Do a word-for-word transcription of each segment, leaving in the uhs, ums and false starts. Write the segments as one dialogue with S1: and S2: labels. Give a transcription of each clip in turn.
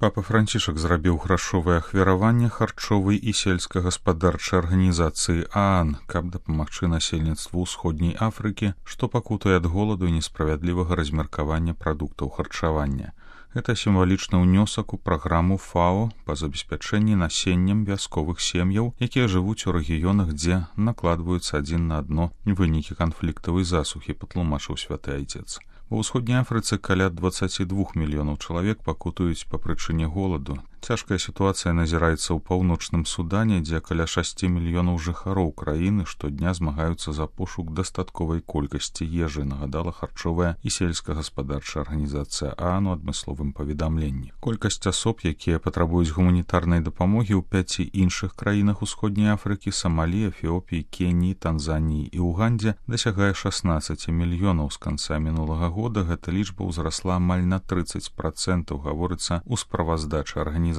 S1: Папа Францішак зрабіў грашовае ахвяраванне харчовай і сельскагаспадарчай арганізацыі ААН, каб дапамагчы насельніцтву ўсходняй Афрыкі, што пакутуе ад голаду і несправядлівага размеркавання прадуктаў харчавання. Гэта сімвалічны ўнёсак у праграму ФАО па забеспячэнні насеннем вясковых сем'яў, якія жывуць у рэгіёнах, дзе накладваюцца адзін на адно вынікі канфліктавай засухі, патлумачыў святы айцец. Ва ўсходняй Афрыцы каля дваццаць два мільёнаў чалавек пакутуюць па прычыне голаду. Цяжкая сітуацыя назіраецца ў паўночным Судане, дзе каля шасці мільёнаў жыхароў краіны штодня змагаюцца за пошук дастатковай колькасці ежы, нагадала харчовая і сельскагаспадарчая арганізацыя ААН у адмысловым паведамленні. Колькасць асоб, якія патрабуюць гуманітарнай дапамогі ў пяці іншых краінах усходняй Афрыкі, Самалі, Эфіопіі, Кеніі, Танзаніі і Угандзе, дасягае шаснаццаць мільёнаў. З канца мінулага года гэта лічба ўзрасла амаль на трыццаць працэнтаў, гаворыцца ў справаздачы арганізацыі.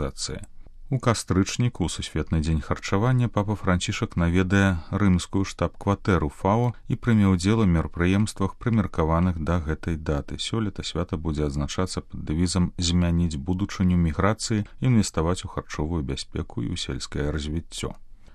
S1: У кастрычніку, у Сусветны дзень харчавання, папа Францішак наведае рымскую штаб-кватэру ФАО і прыме ўдзел у мерапрыемствах, прымеркаваных да гэтай даты. Сёлета свята будзе адзначацца пад дэвізам «Змяніць будучыню міграцыі, інвеставаць у харчовую бяспеку і ў сельскае развіццё».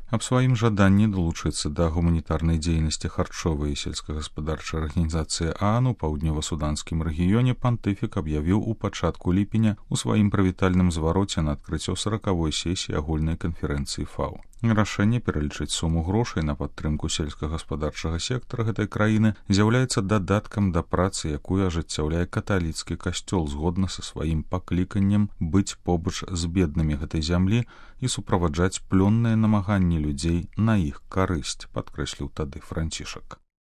S1: Аб сваім жаданні далучыцца да гуманітарнай дзейнасці харчовай і сельскагаспадарчай арганізацыі ААН у паўднёва-суданскім рэгіёне пантыфік аб'явіў у пачатку ліпеня у сваім прывітальным звароце на адкрыццё саракавой сесіі агульнай канферэнцыі ФАО. Рашэнне пералічыць суму грошай на падтрымку сельскагаспадарчага сектара гэтай краіны з'яўляецца дадаткам да працы, якую ажыццяўляе каталіцкі касцёл згодна са сваім пакліканнем быць побач з беднымі гэтай зямлі і суправаджаць плённыя намаганні людзей на іх карысць, падкрэсліў тады Францішак.